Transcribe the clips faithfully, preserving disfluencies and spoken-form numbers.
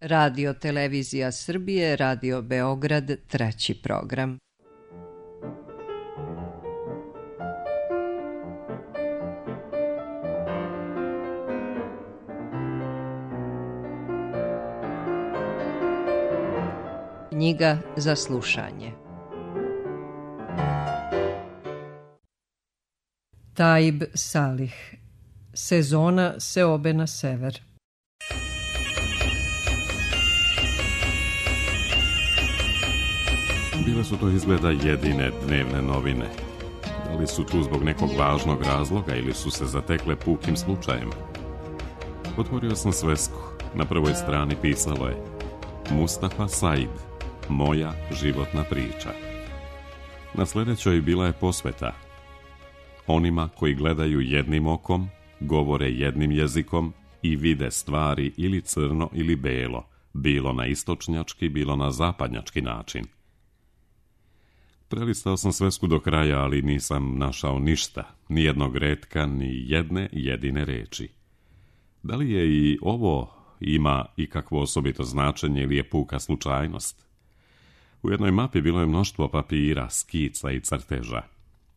Radio Televizija Srbije, Radio Beograd, treći program. Knjiga za slušanje. Taib Salih. Sezona seobe na sever. Bile su to izgleda jedine dnevne novine. Da li su tu zbog nekog važnog razloga ili su se zatekle pukim slučajem? Otvorio sam svesku. Na prvoj strani pisalo je: Mustafa Said, moja životna priča. Na sljedećoj bila je posveta: onima koji gledaju jednim okom, govore jednim jezikom i vide stvari ili crno ili belo, bilo na istočnjački, bilo na zapadnjački način. Prelistao sam svesku do kraja, ali nisam našao ništa, ni jednog retka, ni jedne jedine reči. Da li je i ovo ima ikakvo osobito značenje ili je puka slučajnost? U jednoj mapi bilo je mnoštvo papira, skica i crteža.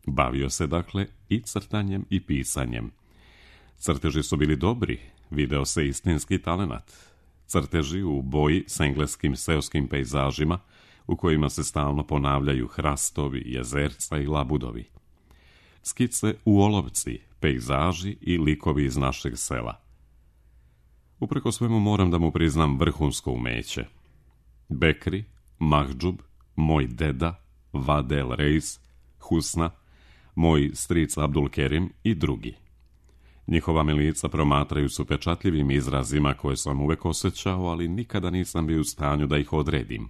Bavio se dakle i crtanjem i pisanjem. Crteži su bili dobri, video se istinski talenat. Crteži u boji s engleskim seoskim pejzažima, u kojima se stalno ponavljaju hrastovi, jezerca i labudovi. Skice u olovci, pejzaži i likovi iz našeg sela. Upreko svemu moram da mu priznam vrhunsko umeće. Bekri, Mahdžub, moj deda, Vadel Reis, Husna, moj stric Abdul Kerim i drugi. Njihova mi lica promatraju s upečatljivim izrazima koje sam uvek osjećao, ali nikada nisam bio u stanju da ih odredim.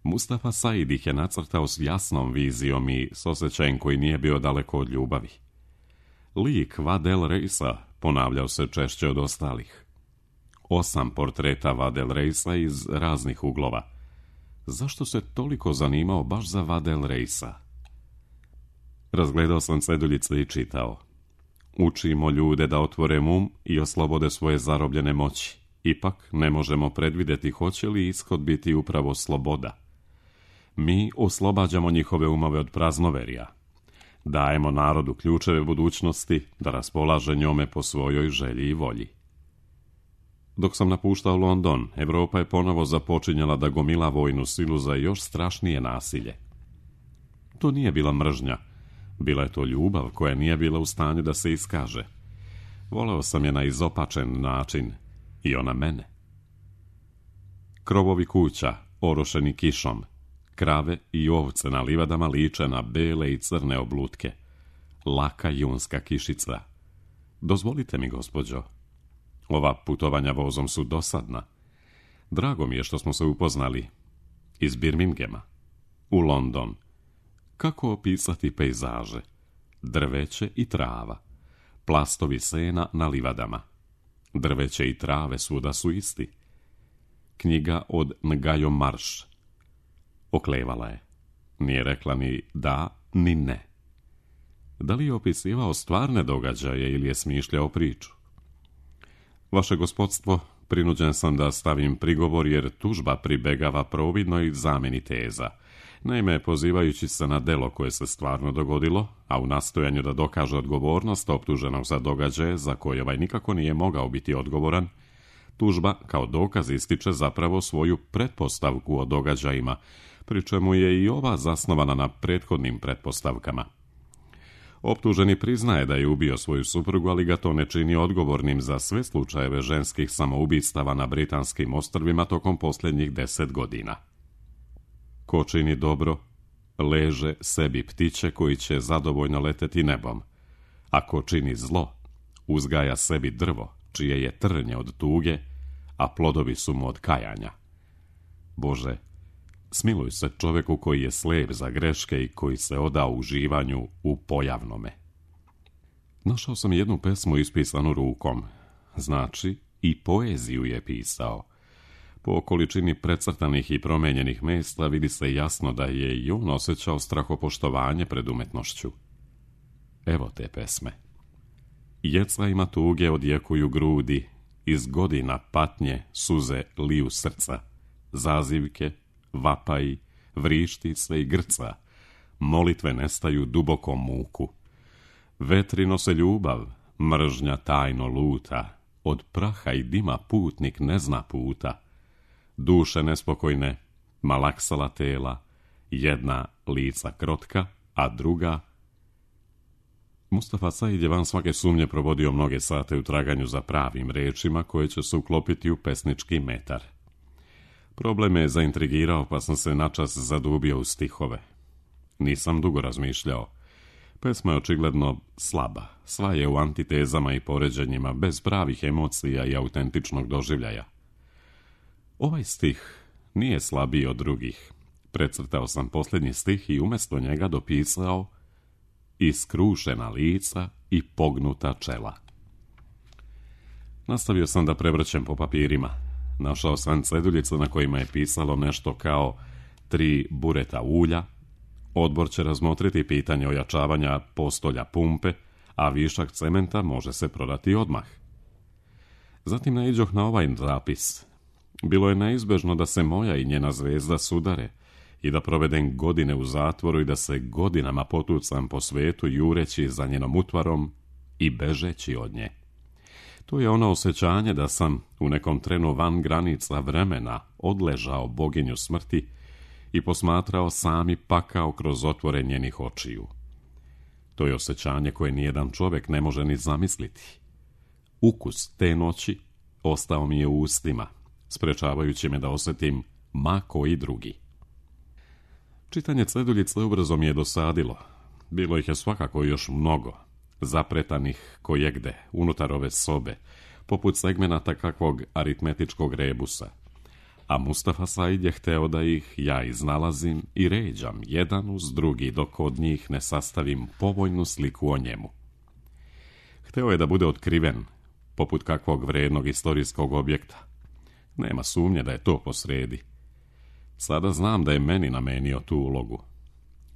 Mustafa Said ih je nacrtao s jasnom vizijom i s osjećajem koji nije bio daleko od ljubavi. Lik Vadel Reisa ponavljao se češće od ostalih. Osam portreta Vadel Reisa iz raznih uglova. Zašto se toliko zanimao baš za Vadel Reisa? Razgledao sam ceduljice i čitao: učimo ljude da otvore um i oslobode svoje zarobljene moći. Ipak ne možemo predvidjeti hoće li ishod biti upravo sloboda. Mi oslobađamo njihove umove od praznoverja. Dajemo narodu ključeve budućnosti da raspolaže njome po svojoj želji i volji. Dok sam napuštao London, Evropa je ponovo započinjala da gomila vojnu silu za još strašnije nasilje. To nije bila mržnja, bila je to ljubav koja nije bila u stanju da se iskaže. Voleo sam je na izopačen način i ona mene. Krovovi kuća, orošeni kišom, krave i ovce na livadama liče na bele i crne oblutke. Laka junska kišica. Dozvolite mi, gospođo. Ova putovanja vozom su dosadna. Drago mi je što smo se upoznali. Iz Birminghama u London. Kako opisati pejzaže? Drveće i trava. Plastovi sena na livadama. Drveće i trave svuda su isti. Knjiga od Ngajo Marš. Oklevala je. Nije rekla ni da, ni ne. Da li je opisivao stvarne događaje ili je smišljao priču? Vaše gospodstvo, prinuđen sam da stavim prigovor jer tužba pribegava providnoj zamjeni teza. Naime, pozivajući se na delo koje se stvarno dogodilo, a u nastojanju da dokaže odgovornost optuženog za događaje za koje ovaj nikako nije mogao biti odgovoran, tužba kao dokaz ističe zapravo svoju pretpostavku o događajima, pri čemu je i ova zasnovana na prethodnim pretpostavkama. Optuženi priznaje da je ubio svoju suprugu, ali ga to ne čini odgovornim za sve slučajeve ženskih samoubistava na britanskim ostrvima tokom posljednjih deset godina. Ko čini dobro, leže sebi ptiće koji će zadovoljno leteti nebom. A ko čini zlo, uzgaja sebi drvo, čije je trnje od tuge, a plodovi su mu od kajanja. Bože, smiluj se čovjeku koji je slijep za greške i koji se odao uživanju u pojavnome. Našao sam jednu pesmu ispisanu rukom. Znači, i poeziju je pisao. Po količini precrtanih i promijenjenih mesta vidi se jasno da je i on osjećao strahopoštovanje pred umetnošću. Evo te pesme. Jeca ima tuge odjekuju grudi, iz godina patnje suze liju srca, zazivke, vapaji, vrišti sve i grca, molitve nestaju dubokom muku. Vetri nose ljubav, mržnja tajno luta, od praha i dima putnik ne zna puta. Duše nespokojne, malaksala tela, jedna lica krotka, a druga... Mustafa Said je van svake sumnje provodio mnoge sate u traganju za pravim rečima koje će se uklopiti u pesnički metar. Problem me je zaintrigirao, pa sam se načas zadubio u stihove. Nisam dugo razmišljao. Pesma je očigledno slaba, sva je u antitezama i poređenjima, bez pravih emocija i autentičnog doživljaja. Ovaj stih nije slabiji od drugih. Precrtao sam posljednji stih i umjesto njega dopisao iskrušena lica i pognuta čela. Nastavio sam da prevrćem po papirima. Našao sam ceduljice na kojima je pisalo nešto kao tri bureta ulja, odbor će razmotriti pitanje ojačavanja postolja pumpe, a višak cementa može se prodati odmah. Zatim naiđoh na ovaj zapis. Bilo je neizbežno da se moja i njena zvezda sudare i da provedem godine u zatvoru i da se godinama potucam po svetu jureći za njenom utvarom i bežeći od nje. To je ono osjećanje da sam u nekom trenu van granica vremena odležao boginju smrti i posmatrao sami pakao kroz otvore njenih očiju. To je osjećanje koje nijedan čovjek ne može ni zamisliti. Ukus te noći ostao mi je u ustima, sprečavajući me da osjetim ma koji drugi. Čitanje ceduljice ubrzo mi je dosadilo. Bilo ih je svakako još mnogo, zapretanih kojegde, unutar ove sobe, poput segmenata kakvog aritmetičkog rebusa. A Mustafa Said je hteo da ih ja iznalazim i ređam jedan uz drugi dok od njih ne sastavim povoljnu sliku o njemu. Hteo je da bude otkriven, poput kakvog vrednog istorijskog objekta. Nema sumnje da je to posredi. Sada znam da je meni namenio tu ulogu.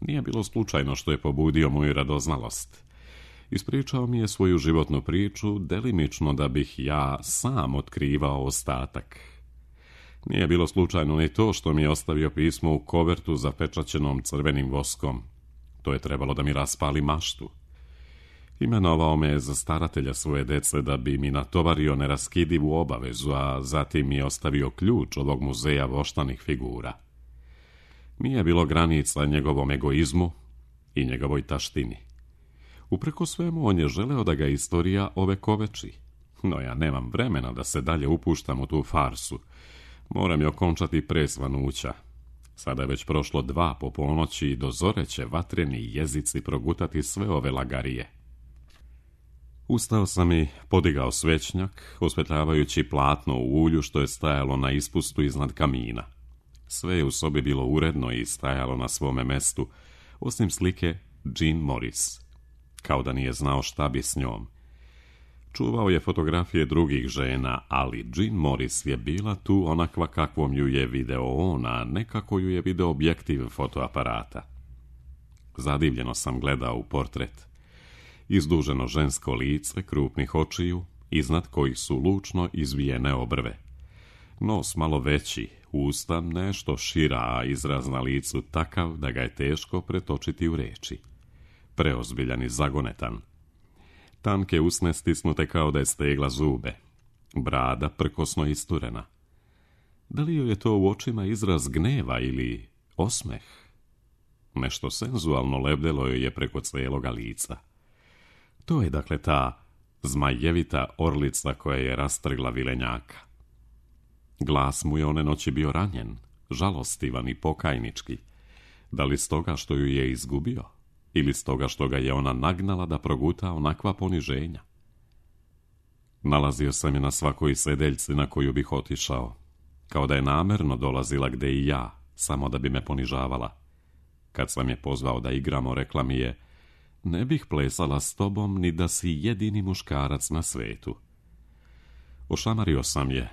Nije bilo slučajno što je pobudio moju radoznalost. Ispričao mi je svoju životnu priču, delimično da bih ja sam otkrivao ostatak. Nije bilo slučajno ni to što mi je ostavio pismo u kovertu zapečaćenom crvenim voskom. To je trebalo da mi raspali maštu. Imenovao me je za staratelja svoje dece da bi mi natovario neraskidivu obavezu, a zatim mi je ostavio ključ ovog muzeja voštanih figura. Nije bilo granica njegovom egoizmu i njegovoj taštini. Upreko svemu on je želeo da ga istorija ovekoveči. No ja nemam vremena da se dalje upuštam u tu farsu. Moram je okončati pre svanuća. Sada je već prošlo dva po ponoći i do zore će vatreni jezici progutati sve ove lagarije. Ustao sam i podigao svećnjak, osvetljavajući platno u ulju što je stajalo na ispustu iznad kamina. Sve je u sobi bilo uredno i stajalo na svome mestu, osim slike Jean Morris, kao da nije znao šta bi s njom. Čuvao je fotografije drugih žena, ali Jean Morris je bila tu onakva kakvom ju je video on, a ne kako ju je video objektiv fotoaparata. Zadivljeno sam gledao u portret. Izduženo žensko lice, krupnih očiju, iznad kojih su lučno izvijene obrve. Nos malo veći, usta nešto šira, a izraz na licu takav da ga je teško pretočiti u reči. Preozbiljan i zagonetan. Tanke usne stisnute kao da je stegla zube. Brada prkosno isturena. Da li joj je to u očima izraz gneva ili osmeh? Nešto senzualno lebdelo joj je preko cijeloga lica. To je dakle ta zmajevita orlica koja je rastrgla vilenjaka. Glas mu je one noći bio ranjen, žalostivan i pokajnički. Da li stoga što ju je izgubio? Ili stoga što ga je ona nagnala da proguta onakva poniženja? Nalazio sam je na svakoj sedeljci na koju bih otišao, kao da je namerno dolazila gde i ja, samo da bi me ponižavala. Kad sam je pozvao da igramo, rekla mi je: ne bih plesala s tobom ni da si jedini muškarac na svetu. Ošamario sam je,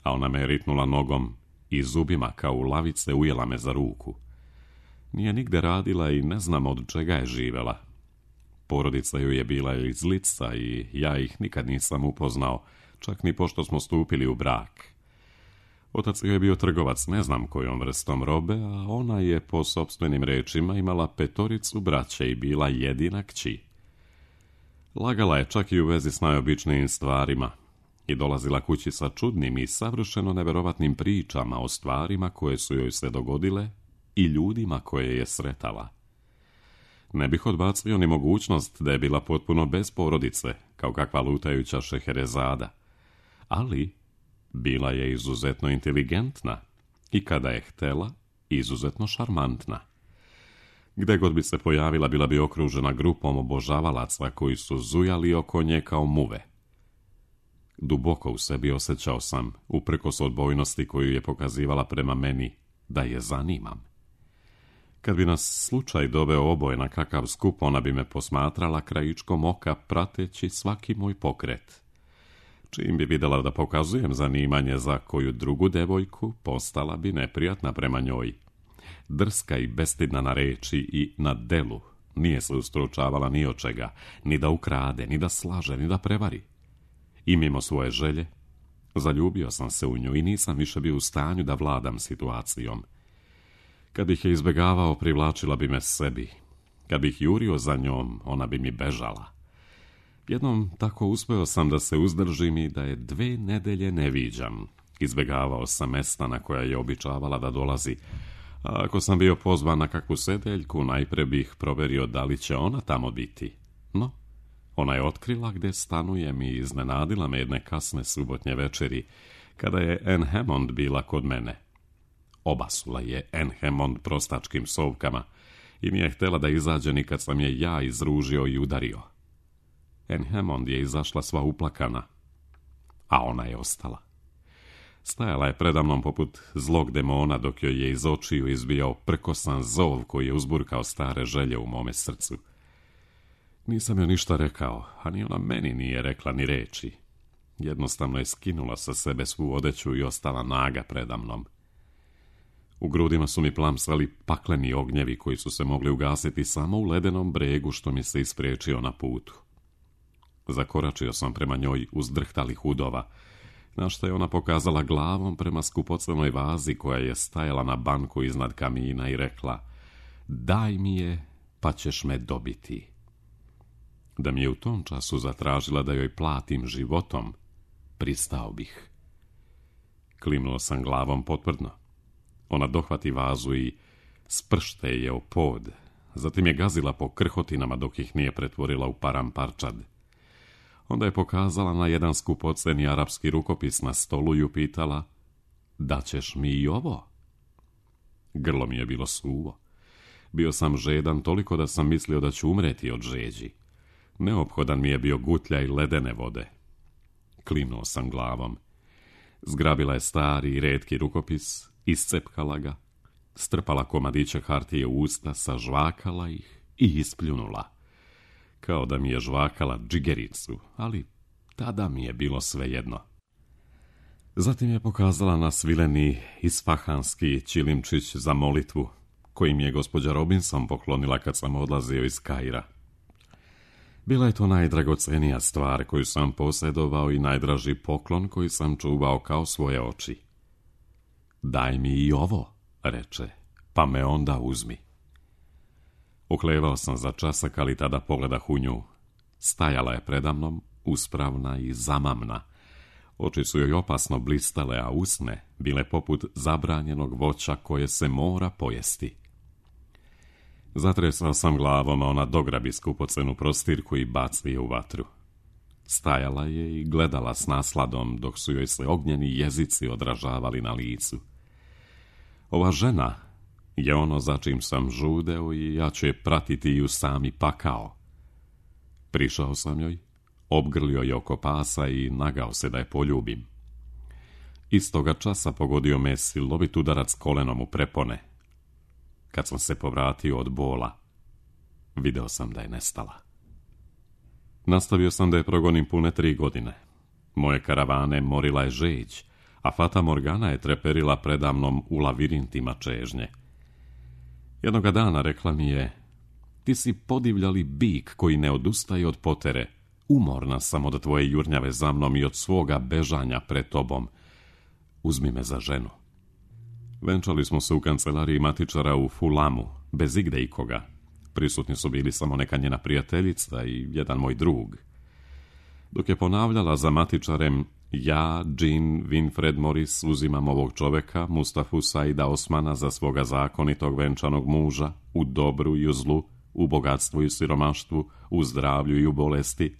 a ona me je ritnula nogom i zubima kao u lavice ujela me za ruku. Nije nigde radila i ne znam od čega je živela. Porodica joj je bila iz Lica i ja ih nikad nisam upoznao, čak ni pošto smo stupili u brak. Otac joj je bio trgovac ne znam kojom vrstom robe, a ona je po sopstvenim rečima imala petoricu braće i bila jedina kći. Lagala je čak i u vezi s najobičnijim stvarima i dolazila kući sa čudnim i savršeno neverovatnim pričama o stvarima koje su joj se dogodile i ljudima koje je sretala. Ne bih odbacio ni mogućnost da je bila potpuno bez porodice, kao kakva lutajuća Šeherezada, ali bila je izuzetno inteligentna i kada je htela, izuzetno šarmantna. Gde god bi se pojavila, bila bi okružena grupom obožavalaca koji su zujali oko nje kao muve. Duboko u sebi osjećao sam, uprkos odbojnosti koju je pokazivala prema meni, da je zanimam. Kad bi nas slučaj doveo oboje na kakav skup, ona bi me posmatrala krajičkom oka, prateći svaki moj pokret. Čim bi vidjela da pokazujem zanimanje za koju drugu devojku, postala bi neprijatna prema njoj. Drska i bestidna na reči i na delu, nije se ustručavala ni od čega, ni da ukrade, ni da slaže, ni da prevari. I mimo svoje želje, zaljubio sam se u nju i nisam više bio u stanju da vladam situacijom. Kad bih je izbjegavao, privlačila bi me sebi. Kad bih jurio za njom, ona bi mi bežala. Jednom tako uspeo sam da se uzdržim i da je dve nedelje ne viđam. Izbjegavao sam mesta na koja je običavala da dolazi, a ako sam bio pozvan na kakvu sedeljku, najpre bih proverio da li će ona tamo biti. No, ona je otkrila gde stanujem i iznenadila me jedne kasne subotnje večeri, kada je Anne Hammond bila kod mene. Obasula je Anne Hammond prostačkim sovkama i nije htjela da izađe ni kad sam je ja izružio i udario. Anne Hammond je izašla sva uplakana, a ona je ostala. Stajala je predamnom poput zlog demona dok joj je iz očiju izbijao prkosan zov koji je uzburkao stare želje u mome srcu. Nisam joj ništa rekao, a ni ona meni nije rekla ni reči. Jednostavno je skinula sa sebe svu odeću i ostala naga predamnom. U grudima su mi plamsali pakleni ognjevi koji su se mogli ugasiti samo u ledenom bregu što mi se ispriječio na putu. Zakoračio sam prema njoj uzdrhtalih udova, na što je ona pokazala glavom prema skupocenoj vazi koja je stajala na banku iznad kamina i rekla: "Daj mi je, pa ćeš me dobiti." Da mi je u tom času zatražila da joj platim životom, pristao bih. Klimnuo sam glavom potvrdno. Ona dohvati vazu i spršte je o pod, zatim je gazila po krhotinama dok ih nije pretvorila u paramparčad. Onda je pokazala na jedan skupoceni arapski rukopis na stolu i upitala: "Da ćeš mi i ovo?" Grlo mi je bilo suvo. Bio sam žedan toliko da sam mislio da ću umreti od žeđi. Neophodan mi je bio gutljaj ledene vode. Klimnuo sam glavom. Zgrabila je stari i retki rukopis, iscepkala ga, strpala komadiće hartije u usta, sažvakala ih i ispljunula. Kao da mi je žvakala džigericu, ali tada mi je bilo svejedno. Zatim je pokazala na svileni isfahanski čilimčić za molitvu, koji mi je gospođa Robinson poklonila kad sam odlazio iz Kaira. Bila je to najdragocenija stvar koju sam posjedovao i najdraži poklon koji sam čuvao kao svoje oči. "Daj mi i ovo," reče, "pa me onda uzmi." Uklevao sam za časak, ali tada pogledah u nju. Stajala je predamnom, uspravna i zamamna. Oči su joj opasno blistale, a usne bile poput zabranjenog voća koje se mora pojesti. Zatresao sam glavom, a ona dograbi skupocenu prostirku i baci je u vatru. Stajala je i gledala s nasladom, dok su joj se ognjeni jezici odražavali na licu. Ova žena je ono za čim sam žudeo i ja ću je pratiti i u sami pakao. Prišao sam joj, obgrlio je oko pasa i nagao se da je poljubim. Istoga časa pogodio me silovit udarac kolenom u prepone. Kad sam se povratio od bola, video sam da je nestala. Nastavio sam da je progonim pune tri godine. Moje karavane morila je žeđ, a Fata Morgana je treperila predamnom u lavirintima čežnje. Jednoga dana rekla mi je: "Ti si podivljali bik koji ne odustaje od potere, Umorna sam od tvoje jurnjave za mnom i od svoga bežanja pred tobom. Uzmi me za ženu. Venčali smo se u kancelariji matičara u Fulamu, bez igde ikoga. Prisutni su bili samo neka njena prijateljica i jedan moj drug. Dok je ponavljala za matičarem, ja, Jean Winfred Morris, uzimam ovog čoveka, Mustafu Saida Osmana, za svoga zakonitog venčanog muža, u dobru i u zlu, u bogatstvu i u siromaštvu, u zdravlju i u bolesti.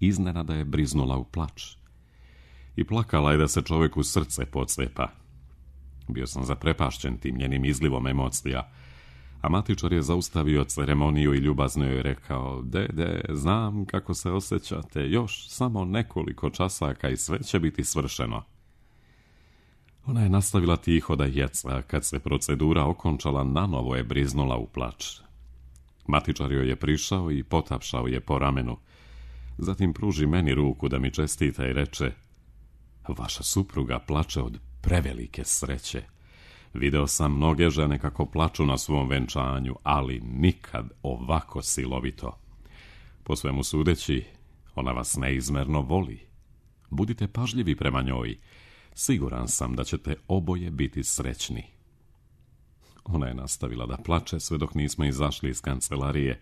Iznenada je briznula u plač. I plakala je da se čoveku srce pocepa. Bio sam zaprepašćen tim njenim izlivom emocija, a matičar je zaustavio ceremoniju i ljubazno joj rekao: dede, znam kako se osjećate, još samo nekoliko časaka i sve će biti svršeno. Ona je nastavila tiho da jeca, kad se procedura okončala, nanovo je briznula u plač. Matičar joj je prišao i potapšao je po ramenu. Zatim pruži meni ruku da mi čestita i reče: vaša supruga plače od prevelike sreće. Video sam mnoge žene kako plaču na svom venčanju, ali nikad ovako silovito. Po svemu sudeći, ona vas neizmerno voli. Budite pažljivi prema njoj. Siguran sam da ćete oboje biti srećni. Ona je nastavila da plače sve dok nismo izašli iz kancelarije,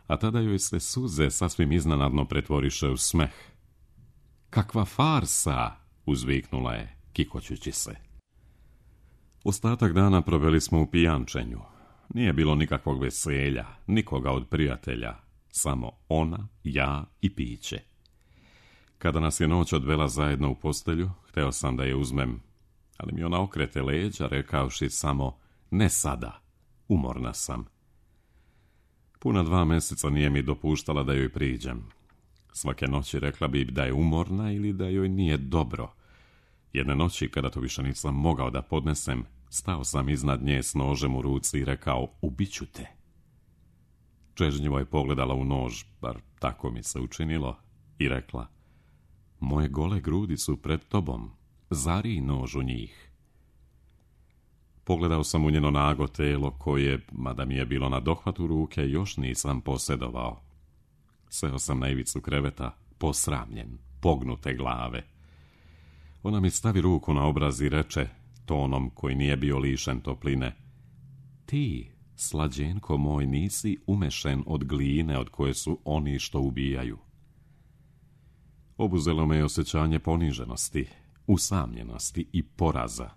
a tada joj se suze sasvim iznenadno pretvoriše u smeh. Kakva farsa! Uzviknula je, kikoćući se. Ostatak dana proveli smo u pijančenju. Nije bilo nikakvog veselja, nikoga od prijatelja, samo ona, ja i piće. Kada nas je noć odvela zajedno u postelju, hteo sam da je uzmem, ali mi ona okrete leđa, rekavši samo: ne sada, umorna sam. Puna dva meseca nije mi dopuštala da joj priđem. Svake noći rekla bi da je umorna ili da joj nije dobro. Jedne noći, kada to više nisam mogao da podnesem, stao sam iznad nje s nožem u ruci i rekao: ubiću te. Čežnjivo je pogledala u nož, bar tako mi se učinilo, i rekla: moje gole grudi su pred tobom, zarij nož u njih. Pogledao sam u njeno nago telo koje, mada mi je bilo na dohvatu ruke, još nisam posjedovao. Seo sam na ivicu kreveta, posramljen, pognute glave. Ona mi stavi ruku na obraz i reče, tonom koji nije bio lišen topline: ti, slađenko moj, nisi umešen od gline od koje su oni što ubijaju. Obuzelo me je osjećanje poniženosti, usamljenosti i poraza.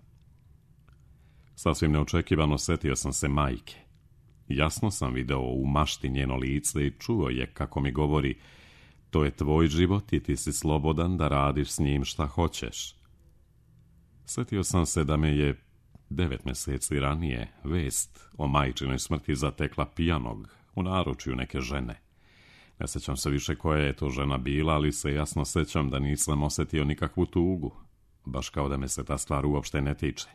Sasvim neočekivano setio sam se majke. Jasno sam video u mašti njeno lice i čuo je kako mi govori: to je tvoj život i ti si slobodan da radiš s njim šta hoćeš. Setio sam se da me je devet mjeseci ranije vest o majčinoj smrti zatekla pijanog u naručju neke žene. Ne sjećam se više koja je to žena bila, ali se jasno sjećam da nisam osjetio nikakvu tugu, baš kao da me se ta stvar uopšte ne tiče.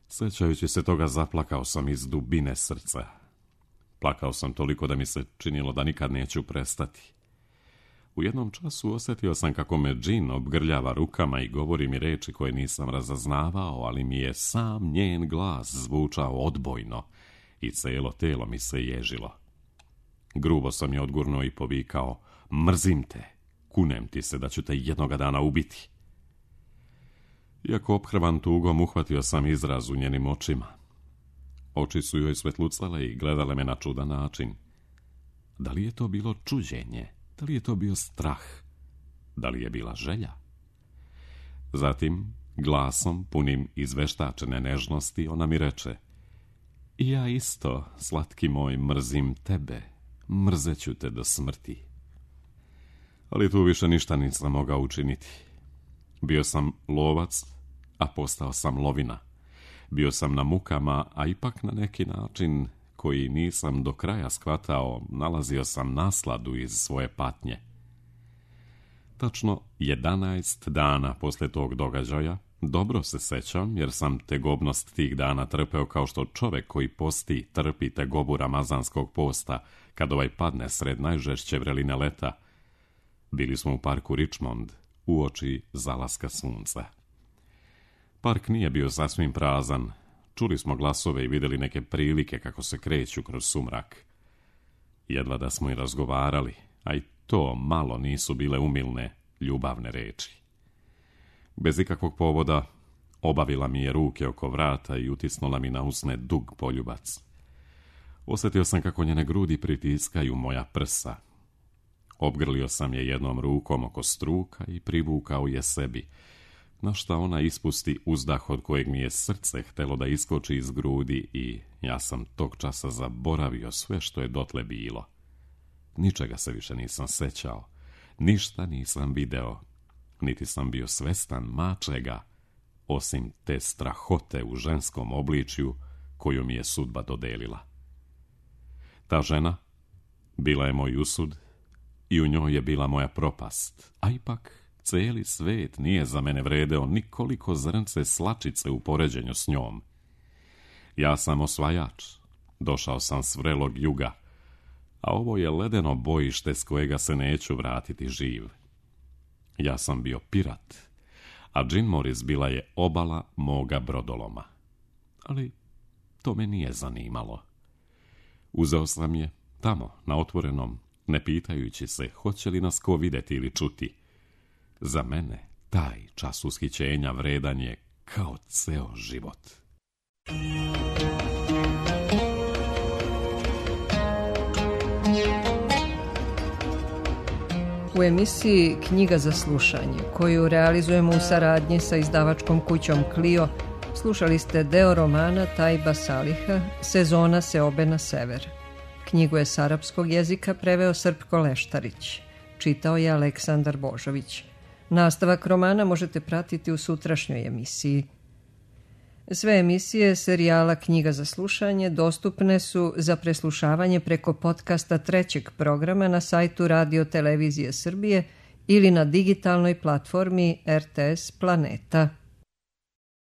Sjećajući se toga, zaplakao sam iz dubine srca. Plakao sam toliko da mi se činilo da nikad neću prestati. U jednom času osjetio sam kako me Jean obgrljava rukama i govori mi reči koje nisam razaznavao, ali mi je sam njen glas zvučao odbojno i cijelo telo mi se ježilo. Grubo sam je odgurnuo i povikao: mrzim te, kunem ti se da ću te jednoga dana ubiti. Iako ophrvan tugom, uhvatio sam izraz u njenim očima. Oči su joj svetlucale i gledale me na čudan način. Da li je to bilo čuđenje? Da li je to bio strah? Da li je bila želja? Zatim, glasom punim izveštačene nežnosti, ona mi reče: i ja isto, slatki moj, mrzim tebe, mrzeću te do smrti. Ali tu više ništa nisam mogao učiniti. Bio sam lovac, a postao sam lovina. Bio sam na mukama, a ipak na neki način koji nisam do kraja shvatao, nalazio sam nasladu iz svoje patnje. Tačno jedanaest dana posle tog događaja, dobro se sećam jer sam tegobnost tih dana trpeo kao što čovek koji posti trpi tegobu ramazanskog posta kad ovaj padne sred najžešće vreline leta. Bili smo u parku Richmond, uoči zalaska sunca. Park nije bio sasvim prazan. Čuli smo glasove i vidjeli neke prilike kako se kreću kroz sumrak. Jedva da smo i razgovarali, a i to malo nisu bile umilne, ljubavne reči. Bez ikakvog povoda obavila mi je ruke oko vrata i utisnula mi na usne dug poljubac. Osjetio sam kako njene grudi pritiskaju moja prsa. Obgrlio sam je jednom rukom oko struka i privukao je sebi, na šta ona ispusti uzdah od kojeg mi je srce htelo da iskoči iz grudi i ja sam tog časa zaboravio sve što je dotle bilo. Ničega se više nisam sećao, ništa nisam video, niti sam bio svestan mačega, osim te strahote u ženskom obličju koju mi je sudba dodelila. Ta žena bila je moj usud i u njoj je bila moja propast, a ipak cijeli svet nije za mene vredeo nikoliko zrnce slačice u poređenju s njom. Ja sam osvajač, došao sam s vrelog juga, a ovo je ledeno bojište s kojega se neću vratiti živ. Ja sam bio pirat, a Jim Morris bila je obala moga brodoloma. Ali to me nije zanimalo. Uzeo sam je tamo, na otvorenom, ne pitajući se hoće li nas ko vidjeti ili čuti. Za mene taj čas ushićenja vredan je kao ceo život. U emisiji Knjiga za slušanje, koju realizujemo u saradnji sa izdavačkom kućom Clio, slušali ste deo romana Tajba Saliha Sezona seobe na sever. Knjigu je s arapskog jezika preveo Srpko Leštarić. Čitao je Aleksandar Božović. Nastavak romana možete pratiti u sutrašnjoj emisiji. Sve emisije serijala Knjiga za slušanje dostupne su za preslušavanje preko podcasta trećeg programa na sajtu Radio Televizije Srbije ili na digitalnoj platformi R T S Planeta.